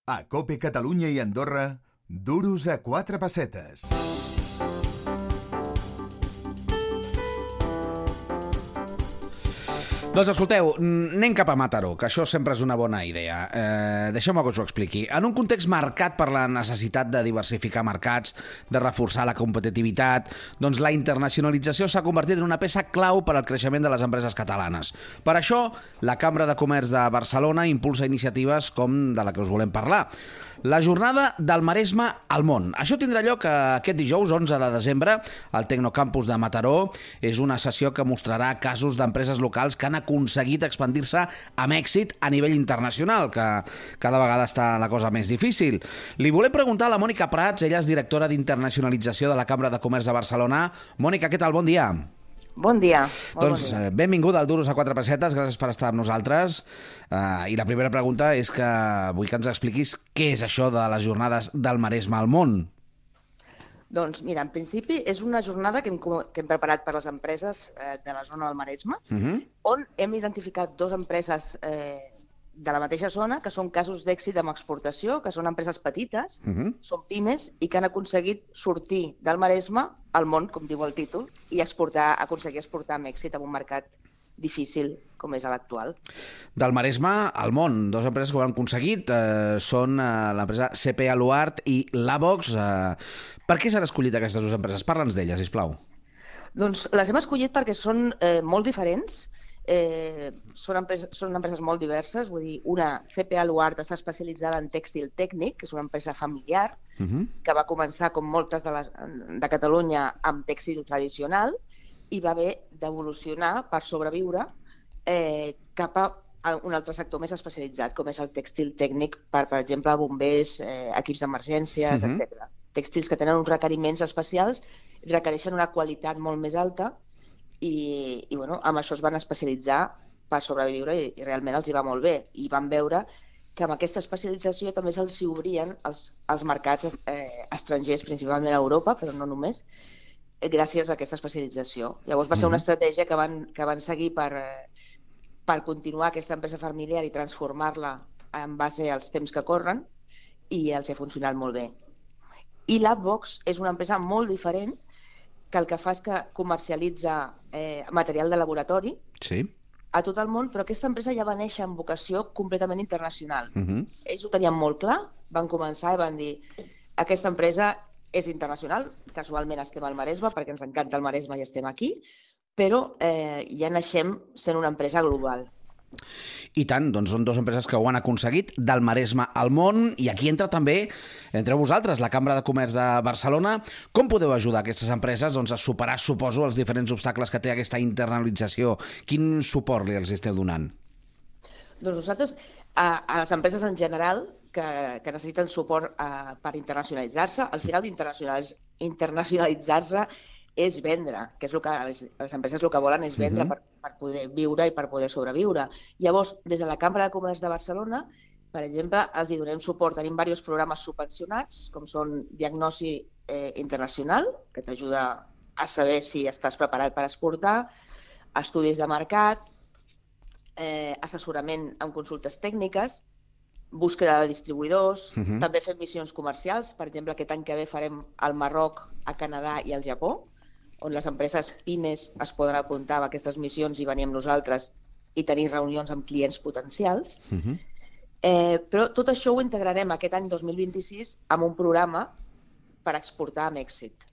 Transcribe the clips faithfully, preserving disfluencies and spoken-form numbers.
A COPE Catalunya i Andorra, duros a quatre pessetes. Doncs escolteu, anem cap a Mataró, que això sempre és una bona idea. Eh, Deixeu-me que us ho expliqui. En un context marcat per la necessitat de diversificar mercats, de reforçar la competitivitat, doncs la internacionalització s'ha convertit en una peça clau per al creixement de les empreses catalanes. Per això, la Cambra de Comerç de Barcelona impulsa iniciatives com de la que us volem parlar. La jornada del Maresme al món. Això tindrà lloc aquest dijous, onze de desembre, al Tecnocampus de Mataró. És una sessió que mostrarà casos d'empreses locals que han aconseguit expandir-se amb èxit a nivell internacional, que cada vegada està la cosa més difícil. Li volem preguntar a la Mònica Prats, ella és directora d'internacionalització de la Cambra de Comerç de Barcelona. Mònica, què tal? Bon dia. Bon dia. Doncs bon dia. Benvinguda al Duros a quatre pessetes, gràcies per estar amb nosaltres. Uh, I la primera pregunta és que vull que ens expliquis què és això de les jornades del Maresme al món. Doncs mira, en principi és una jornada que hem, que hem preparat per les empreses eh, de la zona del Maresme, uh -huh. on hem identificat dues empreses eh, de la mateixa zona que són casos d'èxit amb exportació, que són empreses petites, uh -huh. són pimes i que han aconseguit sortir del Maresme al món, com diu el títol, i exportar, aconseguir exportar amb èxit en un mercat difícil com és l'actual. Del Maresme al món, dues empreses que ho han aconseguit, eh, són eh, l'empresa C P Aluart i Lavox. Eh, per què s'han escollit aquestes dues empreses? Parla'ns d'elles, sisplau. Doncs les hem escollit perquè són eh, molt diferents, eh, són, empreses, són empreses molt diverses, vull dir, una, C P Aluart, està especialitzada en tèxtil tècnic, que és una empresa familiar, uh -huh. que va començar, com moltes de, les, de Catalunya, amb tèxtil tradicional, i va haver d'evolucionar per sobreviure eh, cap a un altre sector més especialitzat, com és el tèxtil tècnic per, per exemple, bombers, eh, equips d'emergències, uh-huh. etcètera. Tèxtils que tenen uns requeriments especials, requereixen una qualitat molt més alta i, i bueno, amb això es van especialitzar per sobreviure i, i realment els hi va molt bé. I van veure que amb aquesta especialització també se'ls obrien els, els mercats eh, estrangers, principalment a Europa, però no només, gràcies a aquesta especialització. Llavors va ser una estratègia que van, que van seguir per, per continuar aquesta empresa familiar i transformar-la en base als temps que corren, i els ha funcionat molt bé. I Lavox és una empresa molt diferent, que el que fa és que comercialitza eh, material de laboratori sí. a tot el món, però aquesta empresa ja va néixer amb vocació completament internacional. Uh -huh. Ells ho tenien molt clar, van començar i van dir aquesta empresa és internacional, casualment estem al Maresme perquè ens encanta el Maresme i estem aquí, però eh, ja naixem sent una empresa global. I tant, doncs són dues empreses que ho han aconseguit, del Maresme al món, i aquí entra també, entre vosaltres, la Cambra de Comerç de Barcelona. Com podeu ajudar aquestes empreses doncs, a superar, suposo, els diferents obstacles que té aquesta internacionalització? Quin suport li els esteu donant? Doncs nosaltres, a, a les empreses en general, que, que necessiten suport uh, per internacionalitzar-se, al final internacionalitzar-se és vendre, que és el que les, les empreses el que volen és vendre uh-huh. per, per poder viure i per poder sobreviure. Llavors, des de la Cambra de Comerç de Barcelona, per exemple, els hi donem suport. Tenim diversos programes subvencionats, com són Diagnosi eh, Internacional, que t'ajuda a saber si estàs preparat per exportar, estudis de mercat, eh, assessorament amb consultes tècniques, búsqueda de distribuïdors, uh-huh. també fem missions comercials. Per exemple, aquest any que ve farem al Marroc, a Canadà i al Japó, on les empreses pimes es poden apuntar a aquestes missions i venir amb nosaltres i tenir reunions amb clients potencials. Uh-huh. Eh, però tot això ho integrarem aquest any dos mil vint-i-sis amb un programa per exportar amb èxit.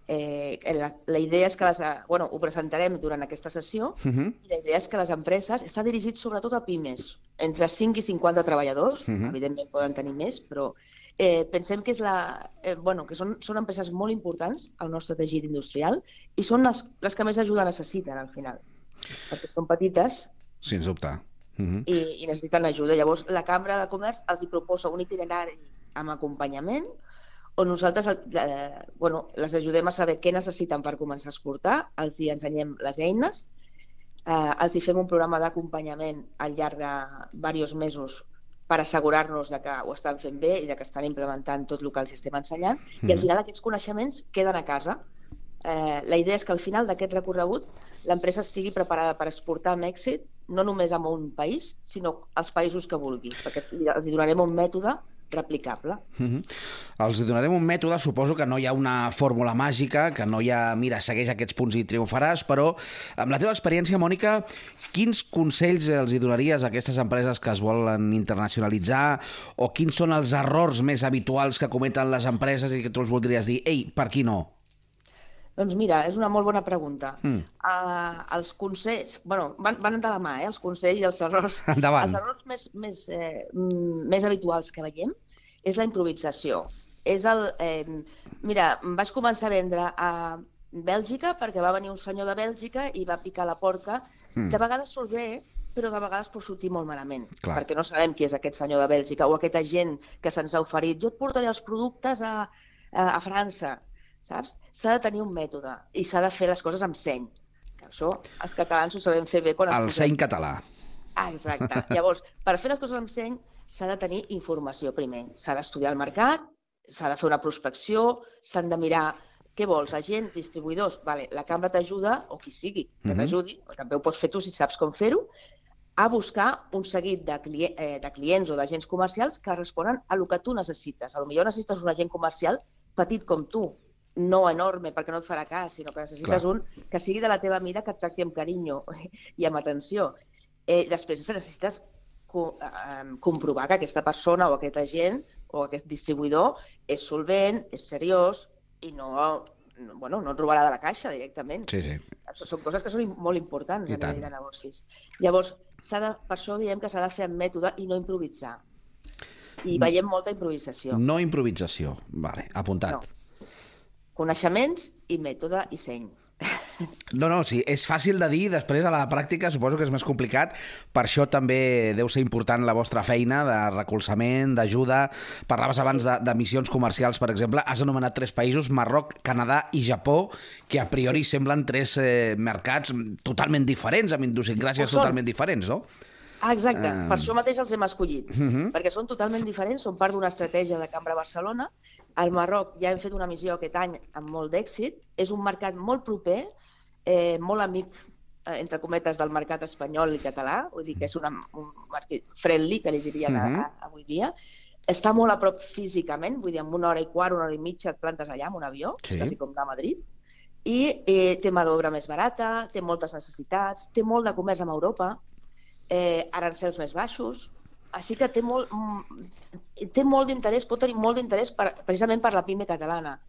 Eh, la, la idea és que les, bueno, ho presentarem durant aquesta sessió uh-huh. i la idea és que les empreses està dirigit sobretot a pimes, entre cinc i cinquanta treballadors, uh-huh. evidentment poden tenir més, però eh, pensem que, és la, eh, bueno, que són, són empreses molt importants al nostre teixit industrial i són les, les que més ajuda necessiten al final, perquè són petites Sens dubte. Uh-huh. i, i necessiten ajuda. Llavors la Cambra de Comerç els hi proposa un itinerari amb acompanyament on nosaltres eh, bueno, les ajudem a saber què necessiten per començar a exportar, els hi ensenyem les eines, eh, els hi fem un programa d'acompanyament al llarg de diversos mesos per assegurar-nos de que ho estan fent bé i de que estan implementant tot el que els estem ensenyant, mm. i al final aquests coneixements queden a casa. Eh, la idea és que al final d'aquest recorregut l'empresa estigui preparada per exportar amb èxit, no només a un país, sinó als països que vulgui, perquè els hi donarem un mètode replicable. Uh-huh. Els donarem un mètode, suposo que no hi ha una fórmula màgica, que no hi ha, mira, segueix aquests punts i triomfaràs, però amb la teva experiència, Mònica, quins consells els hi donaries a aquestes empreses que es volen internacionalitzar o quins són els errors més habituals que cometen les empreses i que tu els voldries dir, ei, per aquí no? Doncs mira, és una molt bona pregunta. Mm. Uh, els consells, bueno, van, van de la mà, eh, els consells i els errors. Endavant. Els errors més, més, eh, més habituals que veiem és la improvisació. És el, eh, mira, vaig començar a vendre a Bèlgica perquè va venir un senyor de Bèlgica i va picar la porta. Mm. De vegades surt bé, però de vegades pot sortir molt malament, Clar. perquè no sabem qui és aquest senyor de Bèlgica o aquest agent que se'ns ha oferit. Jo et portaré els productes a, a, a França. Saps? S'ha de tenir un mètode i s'ha de fer les coses amb seny. Això els catalans ho sabem fer bé. Quan El seny català. Ah, exacte. Llavors, per fer les coses amb seny s'ha de tenir informació primer. S'ha d'estudiar el mercat, s'ha de fer una prospecció, s'han de mirar què vols, agents, distribuïdors. Vale, la cambra t'ajuda, o qui sigui que t'ajudi, uh-huh. també ho pots fer tu si saps com fer-ho, a buscar un seguit de, cli eh, de clients o d'agents comercials que responen a el que tu necessites. A lo millor necessites un agent comercial petit com tu, no enorme perquè no et farà cas, sinó que necessites Clar. un que sigui de la teva mida, que et tracti amb carinyo i amb atenció. Eh, després necessites co eh, comprovar que aquesta persona o aquest agent o aquest distribuïdor és solvent, és seriós i no, bueno, no et robarà de la caixa directament. Sí, sí. Són coses que són molt importants I a nivell de negocis. Llavors, de, per això diem que s'ha de fer amb mètode i no improvisar. I no. veiem molta improvisació. No improvisació, vale, apuntat. No. Coneixements i mètode i seny. No, no, sí, és fàcil de dir, després a la pràctica suposo que és més complicat, per això també deu ser important la vostra feina de recolzament, d'ajuda. Parlaves abans sí. de, de missions comercials, per exemple, has anomenat tres països, Marroc, Canadà i Japó, que a priori sí. semblen tres eh, mercats totalment diferents, amb idiosincràsies totalment diferents, no? Ah, exacte, uh... per això mateix els hem escollit, uh -huh. perquè són totalment diferents, són part d'una estratègia de Cambra Barcelona. Al Marroc ja hem fet una missió aquest any amb molt d'èxit, és un mercat molt proper, eh, molt amic, eh, entre cometes, del mercat espanyol i català, vull dir que és una, un mercat friendly, que li dirien uh -huh. a, a, avui dia. Està molt a prop físicament, vull dir, en una hora i quart, una hora i mitja et plantes allà amb un avió, sí. quasi com anar a Madrid, i eh, té mà d'obra més barata, té moltes necessitats, té molt de comerç amb Europa, eh, arancels més baixos, així que té molt, té molt d'interès, pot tenir molt d'interès per, precisament per la pime catalana,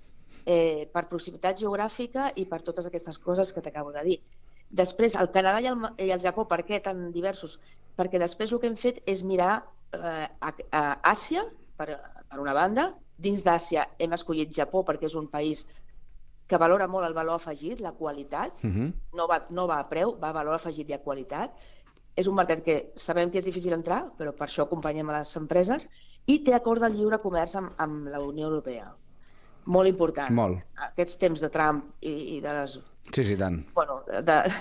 eh, per proximitat geogràfica i per totes aquestes coses que t'acabo de dir. Després, el Canadà i el, i el Japó, per què tan diversos? Perquè després el que hem fet és mirar eh, a, a Àsia, per, per una banda. Dins d'Àsia hem escollit Japó perquè és un país que valora molt el valor afegit, la qualitat, uh-huh. no, va, no va a preu, va a valor afegit i a qualitat. És un mercat que sabem que és difícil entrar, però per això acompanyem a les empreses, i té acord de lliure comerç amb, amb la Unió Europea. Molt important. Molt. Aquests temps de Trump i, i de les... Sí, sí, tant. Bueno, de,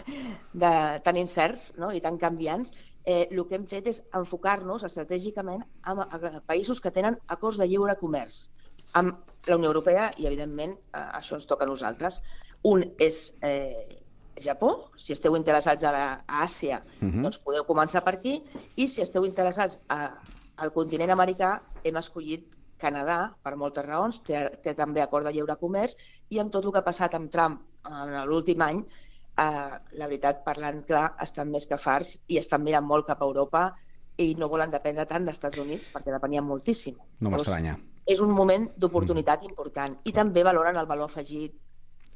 de, tan incerts, no? I tan canviants, eh, el que hem fet és enfocar-nos estratègicament a, a països que tenen acords de lliure comerç amb la Unió Europea i, evidentment, això ens toca a nosaltres. Un és... Eh, Japó, si esteu interessats a, la, a Àsia, uh-huh. doncs podeu començar per aquí, i si esteu interessats a, al continent americà, hem escollit Canadà, per moltes raons, té, té també acord de lliure comerç, i amb tot el que ha passat amb Trump en l'últim any, eh, la veritat, parlant clar, estan més que farts i estan mirant molt cap a Europa i no volen dependre tant dels Estats Units perquè depenien moltíssim. No m'estranya. És un moment d'oportunitat mm. important, i també valoren el valor afegit,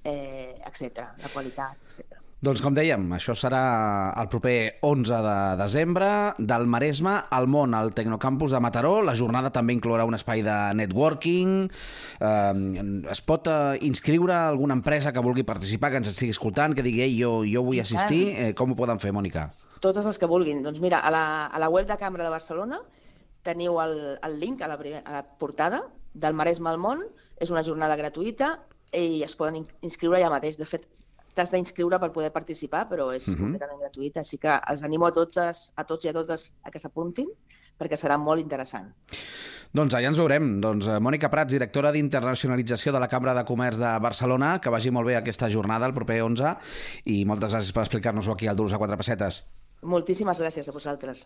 Eh, etcètera, la qualitat, etcètera. Doncs com dèiem, això serà el proper onze de desembre, del Maresme al món, al Tecnocampus de Mataró. La jornada també inclourà un espai de networking. Eh, es pot eh, inscriure alguna empresa que vulgui participar, que ens estigui escoltant, que digui, ei, jo, jo vull assistir. Eh, com ho poden fer, Mònica? Totes les que vulguin. Doncs mira, a la, a la web de Cambra de Barcelona teniu el, el link a la, primer, a la portada del Maresme al món. És una jornada gratuïta i es poden inscriure allà mateix. De fet, t'has d'inscriure per poder participar, però és uh-huh. completament gratuït, així que els animo a tots, a tots i a totes a que s'apuntin, perquè serà molt interessant. Doncs allà ens veurem. Doncs Mònica Prats, directora d'Internacionalització de la Cambra de Comerç de Barcelona, que vagi molt bé aquesta jornada el proper onze, i moltes gràcies per explicar-nos-ho aquí al Duros a quatre pessetes. Moltíssimes gràcies a vosaltres.